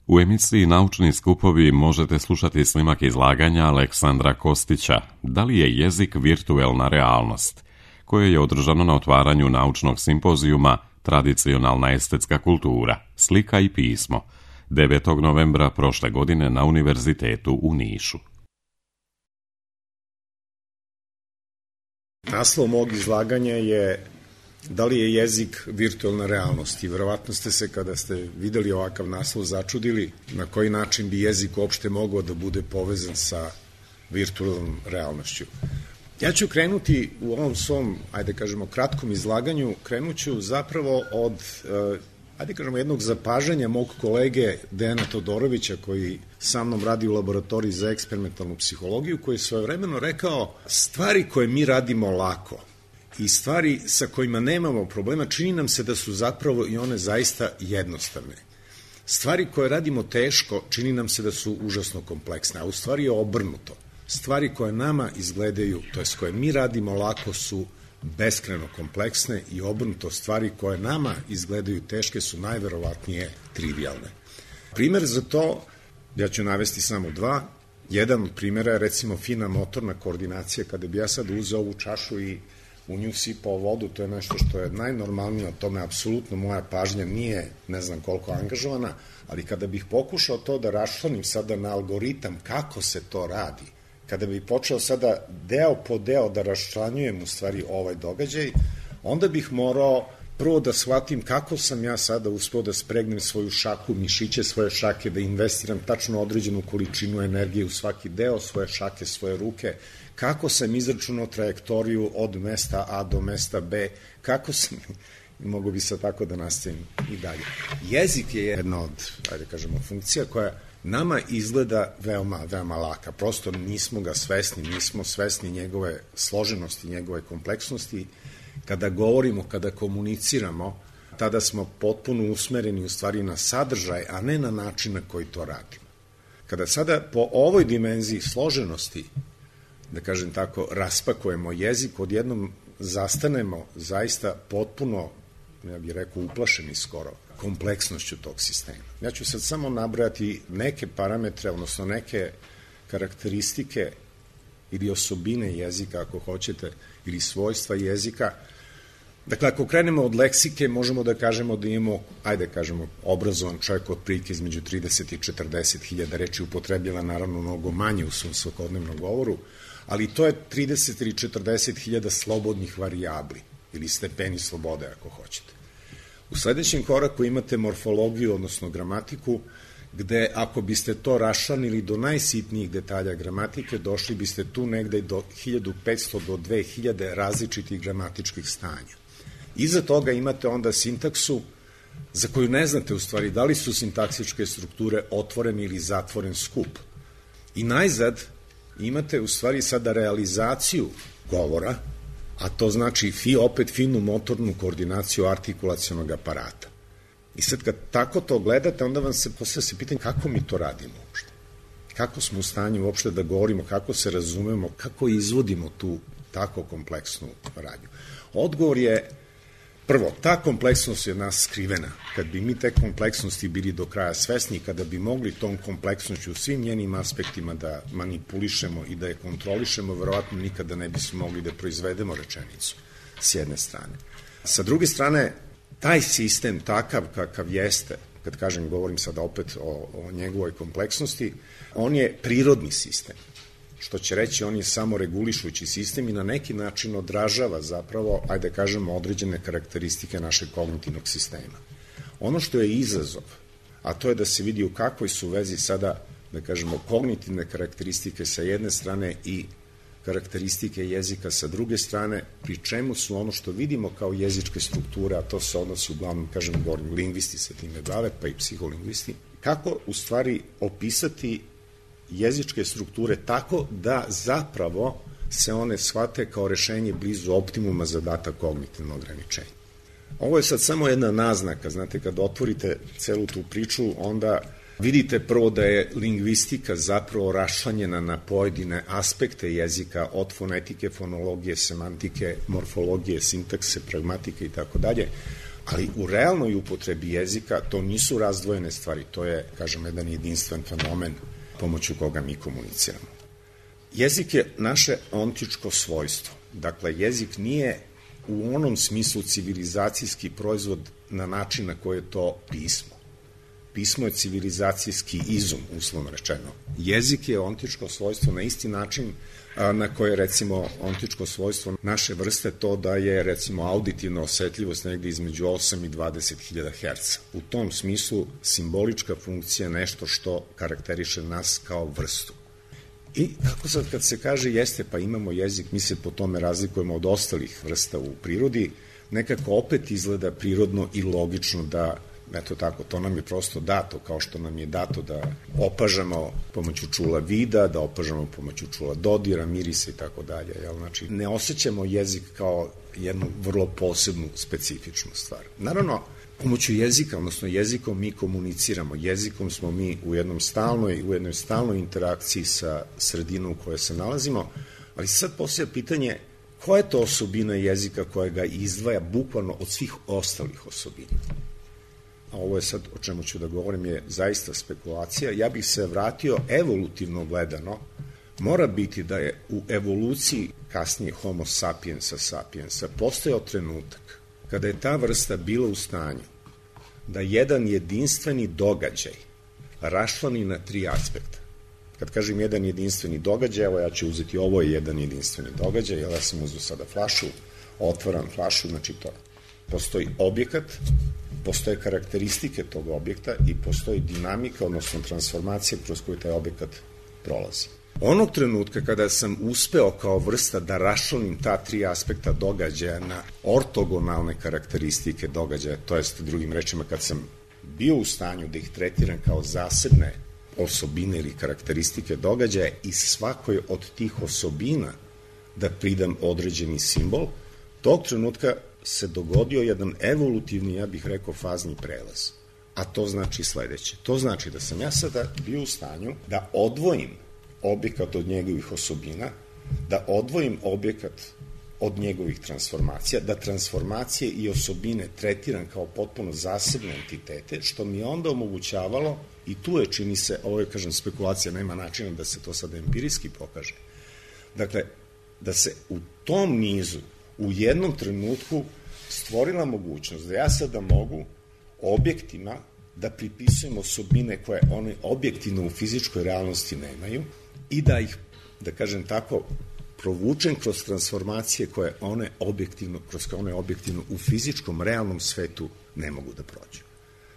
U emisiji Naučni skupovi možete slušati snimak izlaganja Aleksandra Kostića Da li je jezik virtuelna realnost, koje je održano na otvaranju naučnog simpozijuma Tradicionalna estetska kultura, slika i pismo, 9. novembra prošle godine na Univerzitetu u Nišu. Naslov mog izlaganja je Da li je jezik virtuelna realnost? I verovatno ste se, kada ste videli ovakav naslov, začudili na koji način bi jezik uopšte mogao da bude povezan sa virtuelnom realnošću. Ja ću krenuti u ovom svom, kratkom izlaganju, krenuću zapravo od, jednog zapažanja mog kolege Dejana Todorovića, koji sa mnom radi u laboratoriji za eksperimentalnu psihologiju, koji je svojevremeno rekao: stvari koje mi radimo lako i stvari sa kojima nemamo problema, čini nam se da su zapravo i one zaista jednostavne. Stvari koje radimo teško, čini nam se da su užasno kompleksne, a u stvari je obrnuto. Stvari koje nama izgledaju, to jest koje mi radimo lako, su beskrajno kompleksne i obrnuto, stvari koje nama izgledaju teške su najverovatnije trivialne. Primer za to, ja ću navesti samo dva. Jedan od primera je recimo fina motorna koordinacija. Kada bi ja sad uzeo ovu čašu i u nju sipao vodu, to je nešto što je najnormalnije, o tome apsolutno moja pažnja nije ne znam koliko angažovana, ali kada bih pokušao to da raščlanim sada na algoritam kako se to radi, kada bih počeo sada deo po deo da raščlanjujem u stvari ovaj događaj, onda bih morao prvo da shvatim kako sam ja sada uspeo da spregnem svoju šaku, mišiće svoje šake, da investiram tačno određenu količinu energije u svaki deo svoje šake, svoje ruke, kako sam izračunao trajektoriju od mesta A do mesta B, kako sam, mogu bi sad tako da nastavim i dalje. Jezik je jedna od, funkcija koja nama izgleda veoma laka, prosto nismo ga svesni, nismo svesni njegove složenosti, njegove kompleksnosti. Kada govorimo, kada komuniciramo, tada smo potpuno usmereni u stvari na sadržaj, a ne na način na koji to radimo. Kada sada po ovoj dimenziji složenosti, da kažem tako, raspakujemo jezik, odjednom zastanemo zaista potpuno, ja bih rekao, uplašeni skoro kompleksnošću tog sistema. Ja ću sad samo nabrojati neke parametre, odnosno neke karakteristike ili osobine jezika, ako hoćete, ili svojstva jezika. Dakle, ako krenemo od leksike, možemo da kažemo da imamo, obrazovan čovjek otprilike između 30 i 40 hiljada reči, upotrebljava naravno mnogo manje u svom svakodnevnom govoru, ali to je 30 ili 40 hiljada slobodnih varijabli ili stepeni slobode, ako hoćete. U sledećem koraku imate morfologiju, odnosno gramatiku, gde ako biste to raščlanili do najsitnijih detalja gramatike, došli biste tu negde do 1500 do 2000 različitih gramatičkih stanja. Iza toga imate onda sintaksu, za koju ne znate u stvari da li su sintaksičke strukture otvoren ili zatvoren skup. I najzad imate u stvari sada realizaciju govora, a to znači opet finu motornu koordinaciju artikulacionog aparata. I sad kad tako to gledate, onda vam se postavlja pitanje kako mi to radimo uopšte. Kako smo u stanju uopšte da govorimo, kako se razumemo, kako izvodimo tu tako kompleksnu radnju. Odgovor je, prvo, ta kompleksnost je od nas skrivena. Kad bi mi te kompleksnosti bili do kraja svesni, kada bi mogli tom kompleksnošću u svim njenim aspektima da manipulišemo i da je kontrolišemo, verovatno nikada ne bismo mogli da proizvedemo rečenicu, s jedne strane. Sa druge strane, taj sistem takav kakav jeste, kad kažem, govorim sada opet o njegovoj kompleksnosti, on je prirodni sistem, što će reći on je samo regulišući sistem i na neki način odražava zapravo, određene karakteristike našeg kognitivnog sistema. Ono što je izazov, a to je da se vidi u kakvoj su vezi sada, kognitivne karakteristike sa jedne strane i karakteristike jezika sa druge strane, pri čemu su ono što vidimo kao jezičke strukture, a to se odnosi uglavnom, govorim, lingvisti se time bave, pa i psiholingvisti, kako u stvari opisati jezičke strukture tako da zapravo se one shvate kao rešenje blizu optimuma za data kognitivno ograničenje. Ovo je sad samo jedna naznaka, znate, kad otvorite celu tu priču, onda vidite prvo da je lingvistika zapravo raščlanjena na pojedine aspekte jezika, od fonetike, fonologije, semantike, morfologije, sintakse, pragmatike i tako dalje. Ali u realnoj upotrebi jezika to nisu razdvojene stvari, to je, kažem, jedan jedinstven fenomen pomoću koga mi komuniciramo. Jezik je naše ontičko svojstvo. Dakle, jezik nije u onom smislu civilizacijski proizvod na način na koji je to pismo. Pismo je civilizacijski izum, uslovno rečeno. Jezik je ontičko svojstvo na isti način na koje je, recimo, ontičko svojstvo naše vrste to da je, recimo, auditivna osetljivost negde između 8 i 20.000 Hz. U tom smislu simbolička funkcija je nešto što karakteriše nas kao vrstu. I kako sad kad se kaže jeste, pa imamo jezik, mi se po tome razlikujemo od ostalih vrsta u prirodi, nekako opet izgleda prirodno i logično da, eto tako, to nam je prosto dato, kao što nam je dato da opažamo pomoću čula vida, da opažamo pomoću čula dodira, mirisa i tako dalje. Znači, ne osjećamo jezik kao jednu vrlo posebnu, specifičnu stvar. Naravno, pomoću jezika, odnosno jezikom mi komuniciramo. Jezikom smo mi u jednoj stalnoj interakciji sa sredinom u kojoj se nalazimo, ali sad postoji pitanje koja je to osobina jezika koja ga izdvaja bukvalno od svih ostalih osobina. A ovo je sad o čemu ću da govorim je zaista spekulacija. Ja bih se vratio evolutivno gledano. Mora biti da je u evoluciji kasnije Homo sapiensa postojao trenutak kada je ta vrsta bila u stanju da jedan jedinstveni događaj raščlani na 3 aspekta. Kad kažem jedan jedinstveni događaj, evo ja ću uzeti ovo je jedan jedinstveni događaj, ja sam uzeo sada flašu, otvaram flašu, znači to postoji objekat, postoje karakteristike tog objekta i postoji dinamika, odnosno transformacija kroz koju taj objekat prolazi. Onog trenutka kada sam uspeo kao vrsta da raščlanim ta 3 aspekta događaja na ortogonalne karakteristike događaja, to jest drugim rečima kad sam bio u stanju da ih tretiram kao zasebne osobine ili karakteristike događaja i svakoj od tih osobina da pridam određeni simbol, tog trenutka se dogodio jedan evolutivni, ja bih rekao, fazni prelaz. A to znači sledeće. To znači da sam ja sada bio u stanju da odvojim objekat od njegovih osobina, da odvojim objekat od njegovih transformacija, da transformacije i osobine tretiram kao potpuno zasebne entitete, što mi je onda omogućavalo, i tu je, čini se, ovo je, kažem, spekulacija, nema načina da se to sada empirijski pokaže. Dakle, da se u tom nizu, u jednom trenutku stvorila mogućnost da ja sada mogu objektima da pripisujem osobine koje one objektivno u fizičkoj realnosti nemaju i da ih, da kažem tako, provučem kroz transformacije koje one objektivno u fizičkom, realnom svetu ne mogu da prođu.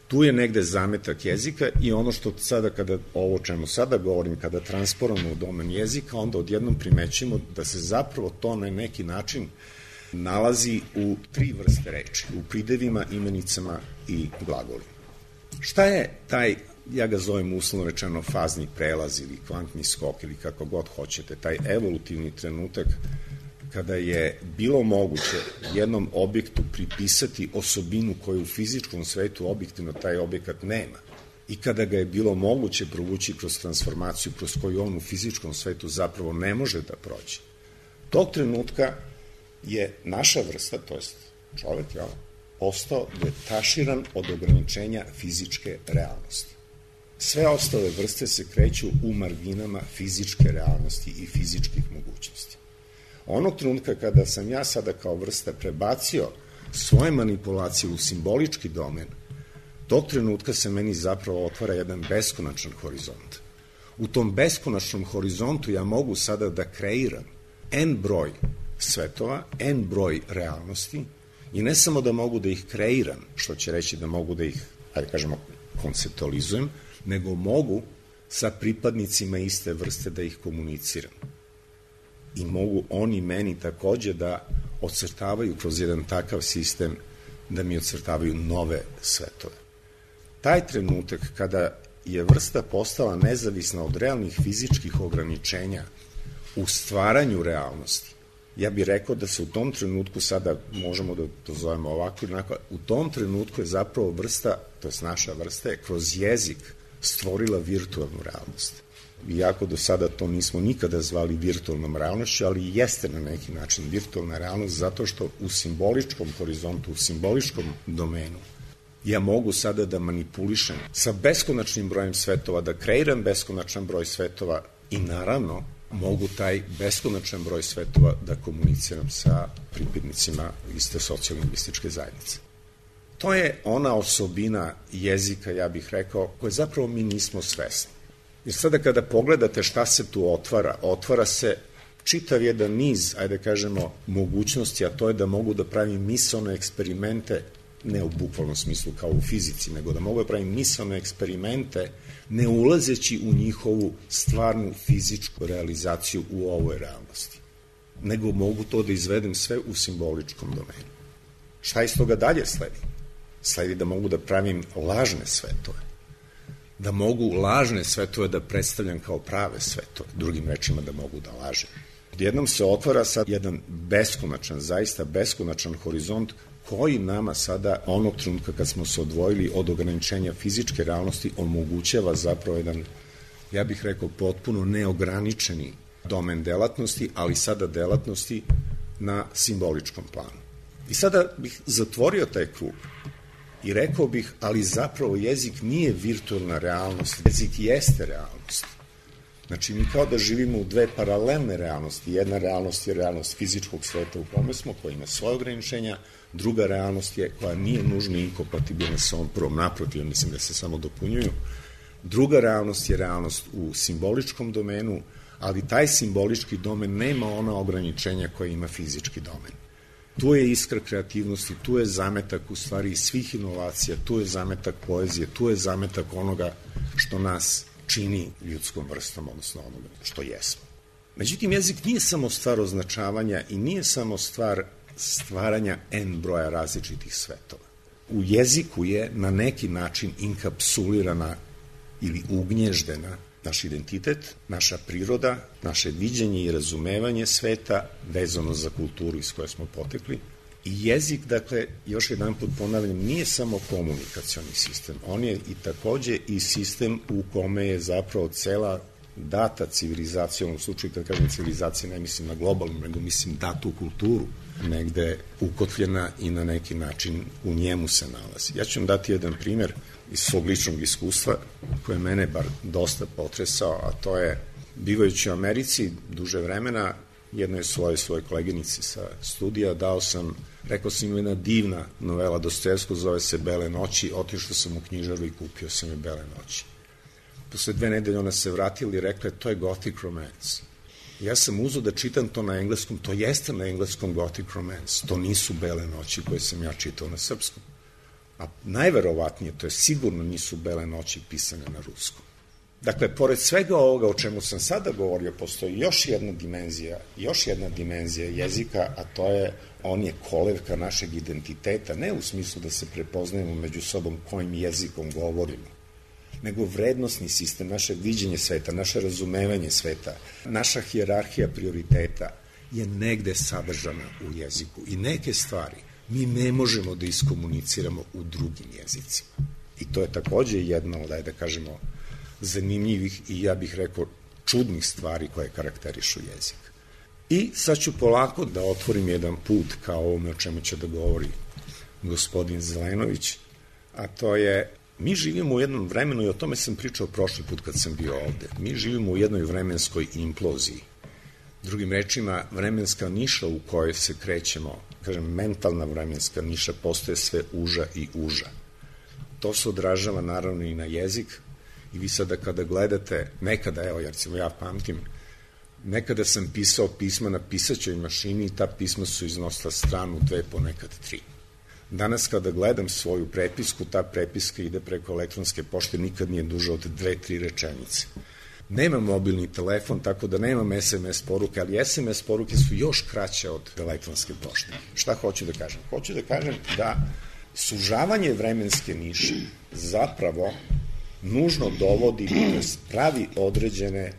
Tu je negde zametak jezika i ono što sada, ovo o čemu sada govorim, kada transporamo u domen jezika, onda odjednom primećimo da se zapravo to na neki način nalazi u 3 vrste reči, u pridevima, imenicama i glagolima. Šta je taj, ja ga zovem uslovno rečeno, fazni prelaz ili kvantni skok ili kako god hoćete, taj evolutivni trenutak kada je bilo moguće jednom objektu pripisati osobinu koju u fizičkom svetu objektivno taj objekat nema i kada ga je bilo moguće provući kroz transformaciju kroz koju on u fizičkom svetu zapravo ne može da prođe. Tog trenutka je naša vrsta, to jest čovek, postao detaširan od ograničenja fizičke realnosti. Sve ostale vrste se kreću u marginama fizičke realnosti i fizičkih mogućnosti. Onog trenutka kada sam ja sada kao vrsta prebacio svoje manipulacije u simbolički domen, tog trenutka se meni zapravo otvara jedan beskonačan horizont. U tom beskonačnom horizontu ja mogu sada da kreiram n broj svetova, n broj realnosti i ne samo da mogu da ih kreiram, što će reći da mogu da ih, ajde kažemo, konceptualizujem, nego mogu sa pripadnicima iste vrste da ih komuniciram. I mogu oni meni takođe da ocrtavaju kroz jedan takav sistem, da mi ocrtavaju nove svetove. Taj trenutak kada je vrsta postala nezavisna od realnih fizičkih ograničenja u stvaranju realnosti, ja bih rekao da se u tom trenutku, sada možemo da to zovemo ovako ili onako, u tom trenutku je zapravo vrsta, to je naša vrsta, je kroz jezik stvorila virtualnu realnost. iako do sada to nismo nikada zvali virtualnom realnošću, ali jeste na neki način virtualna realnost zato što u simboličkom horizontu, u simboličkom domenu ja mogu sada da manipulišem sa beskonačnim brojem svetova, da kreiram beskonačan broj svetova i naravno mogu taj beskonačan broj svetova da komuniciram sa pripadnicima iste socijalno-lingvističke zajednice. To je ona osobina jezika, ja bih rekao, koje zapravo mi nismo svesni. Jer sada kada pogledate šta se tu otvara se čitav jedan niz, ajde kažemo, mogućnosti, a to je da mogu da pravim misaone eksperimente, ne u bukvalnom smislu kao u fizici, nego da mogu da pravim misaone eksperimente ne ulazeći u njihovu stvarnu fizičku realizaciju u ovoj realnosti, nego mogu to da izvedem sve u simboličkom domenu. Šta iz toga dalje sledi? Sledi da mogu da pravim lažne svetove, da mogu lažne svetove da predstavljam kao prave svetove, drugim rečima da mogu da lažem. Odjednom se otvara sad jedan beskonačan, zaista beskonačan horizont koji nama sada, onog trenutka kad smo se odvojili od ograničenja fizičke realnosti, omogućava zapravo jedan, ja bih rekao, potpuno neograničeni domen delatnosti, ali sada delatnosti na simboličkom planu. I sada bih zatvorio taj krug i rekao bih, ali zapravo jezik nije virtualna realnost, jezik jeste realnost. Znači, mi kao da živimo u dve paralelne realnosti. Jedna realnost je realnost fizičkog sveta u kome smo, koja ima svoje ograničenja, druga realnost je koja nije nužno inkompatibilna sa ovom prvom, naprotiv, mislim da se samo dopunjuju. Druga realnost je realnost u simboličkom domenu, ali taj simbolički domen nema ona ograničenja koje ima fizički domen. Tu je iskra kreativnosti, tu je zametak u stvari svih inovacija, tu je zametak poezije, tu je zametak onoga što nas čini ljudskom vrstom, odnosno onoga što jesmo. Međutim, jezik nije samo stvar označavanja i nije samo stvar stvaranja n broja različitih svetova. U jeziku je na neki način inkapsulirana ili ugnježdena naš identitet, naša priroda, naše viđenje i razumevanje sveta vezano za kulturu iz koje smo potekli. I jezik, dakle, još jedan put ponavljam, nije samo komunikacioni sistem, on je i takođe i sistem u kome je zapravo cela data civilizacija, u slučaju kad kažem civilizacija ne mislim na globalnu, nego mislim datu kulturu, negde ukotljena i na neki način u njemu se nalazi. Ja ću vam dati jedan primer iz svog ličnog iskustva koje je mene bar dosta potresao, a to je bivajući u Americi duže vremena, jednoj svojoj koleginici sa studija rekao sam jedna divna novela Dostojevskog, zove se Bele noći, otišao sam u knjižaru i kupio sam je Bele noći. Posle 2 nedelje ona se vratila i rekla to je gothic romance. Ja sam uzeo da čitam to na engleskom, to jeste na engleskom gothic romance, to nisu Bele noći koje sam ja čitao na srpskom. A najverovatnije, to je sigurno nisu Bele noći pisane na ruskom. Dakle, pored svega ovoga o čemu sam sada govorio, postoji još jedna dimenzija jezika, a to je, on je kolevka našeg identiteta, ne u smislu da se prepoznajemo među sobom kojim jezikom govorimo, nego vrednostni sistem, naše viđenje sveta, naše razumevanje sveta, naša hijerarhija prioriteta je negde sadržana u jeziku i neke stvari mi ne možemo da iskomuniciramo u drugim jezicima. I to je takođe jedna od, da kažemo, zanimljivih i ja bih rekao čudnih stvari koje karakterišu jezik. I sad ću polako da otvorim jedan put kao ovome o čemu će da govori gospodin Zelenović, a to je, mi živimo u jednom vremenu, i o tome sam pričao prošli put kad sam bio ovde, mi živimo u jednoj vremenskoj imploziji. Drugim rečima, vremenska niša u kojoj se krećemo, kažem, mentalna vremenska niša postaje sve uža i uža. To se odražava naravno i na jezik, i vi sada kada gledate, nekada, evo, jer ja pamtim, nekada sam pisao pisma na pisaćoj mašini i ta pisma su iznosila stranu, 2, ponekad 3. Danas kada gledam svoju prepisku, ta prepiska ide preko elektronske pošte, nikad nije duže od 2-3 rečenice. Nemam mobilni telefon, tako da nemam SMS poruke, ali SMS poruke su još kraće od elektronske pošte. Šta hoću da kažem? Hoću da kažem da sužavanje vremenske niše zapravo nužno dovodi, pravi određene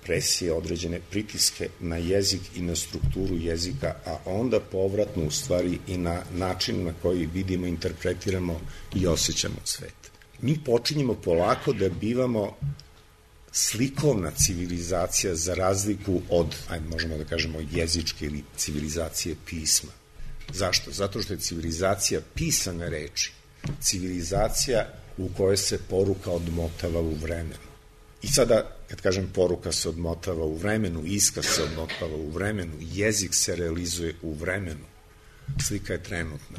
presije, određene pritiske na jezik i na strukturu jezika, a onda povratno u stvari i na način na koji vidimo, interpretiramo i osjećamo svet. Mi počinjemo polako da bivamo slikovna civilizacija za razliku od, možemo da kažemo, jezičke ili civilizacije pisma. Zašto? Zato što je civilizacija pisane reči, civilizacija u kojoj se poruka odmotava u vremenu. I sada, kad kažem poruka se odmotava u vremenu, iskaz se odmotava u vremenu, jezik se realizuje u vremenu, slika je trenutna.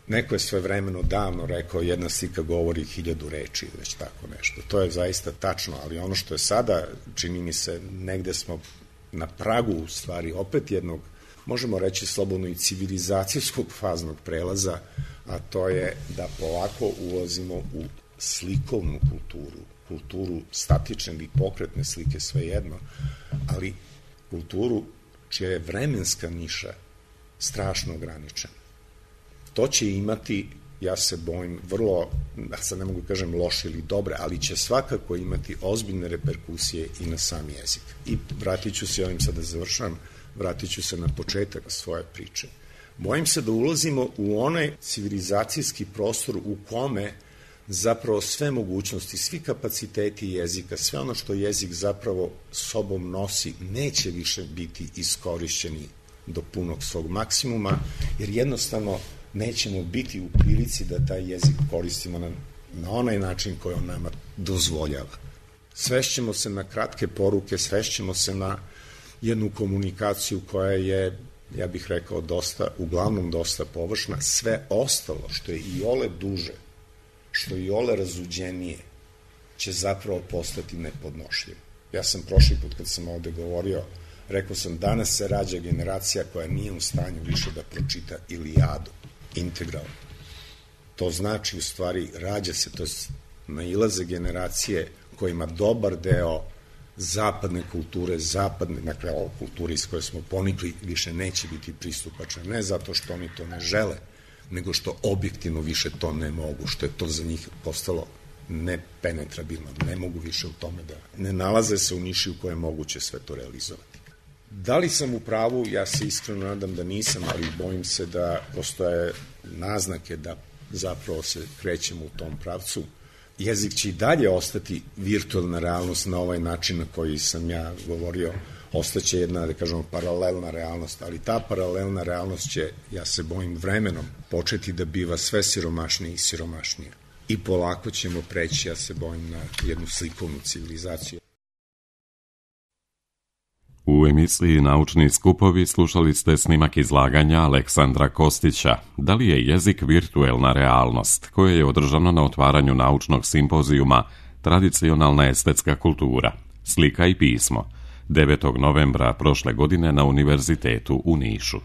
Neko je svojevremeno davno rekao jedna slika govori 1000 reči, već tako nešto. To je zaista tačno, ali ono što je sada, čini mi se, negde smo na pragu u stvari opet jednog, možemo reći slobodno i civilizacijskog faznog prelaza, a to je da polako ulazimo u slikovnu kulturu statične ili pokretne slike, svejedno, ali kulturu čija je vremenska niša strašno ograničena. To će imati, ja se bojim, vrlo, sad ne mogu kažem loše ili dobre, ali će svakako imati ozbiljne reperkusije i na sam jezik. I vratit ću se, ovim sada završavam, vratit ću se na početak svoje priče. Bojim se da ulazimo u onaj civilizacijski prostor u kome zapravo sve mogućnosti, svi kapaciteti jezika, sve ono što jezik zapravo sobom nosi, neće više biti iskorišćeni do punog svog maksimuma, jer jednostavno nećemo biti u prilici da taj jezik koristimo na onaj način koji on nama dozvoljava. Svešćemo se na kratke poruke, svešćemo se na jednu komunikaciju koja je, ja bih rekao, uglavnom dosta površna. Sve ostalo što je i ole duže, što je i ole razuđenije, će zapravo postati nepodnošljivo. Ja sam prošli put kad sam ovde govorio, rekao sam, danas se rađa generacija koja nije u stanju više da pročita Ilijadu integralno. To znači, u stvari, rađa se, to nailaze generacije kojima dobar deo zapadne kulture, dakle, ova kultura iz koje smo ponikli, više neće biti pristupačna. Ne zato što oni to ne žele, nego što objektivno više to ne mogu, što je to za njih postalo nepenetrabilno, ne mogu više u tome da ne nalaze se u niši u kojoj je moguće sve to realizovati. Da li sam u pravu? Ja se iskreno nadam da nisam, ali bojim se da postoje naznake da zapravo se krećemo u tom pravcu. Jezik će i dalje ostati virtualna realnost na ovaj način na koji sam ja govorio, ostaće jedna, da kažemo, paralelna realnost, ali ta paralelna realnost će, ja se bojim, vremenom početi da biva sve siromašnija i siromašnija. I polako ćemo preći, ja se bojim, na jednu slikovnu civilizaciju. U emisiji Naučni skupovi slušali ste snimak izlaganja Aleksandra Kostića. Da li je jezik virtuelna realnost, koje je održano na otvaranju naučnog simpozijuma Tradicionalna estetska kultura, slika i pismo, 9. novembra prošle godine na Univerzitetu u Nišu.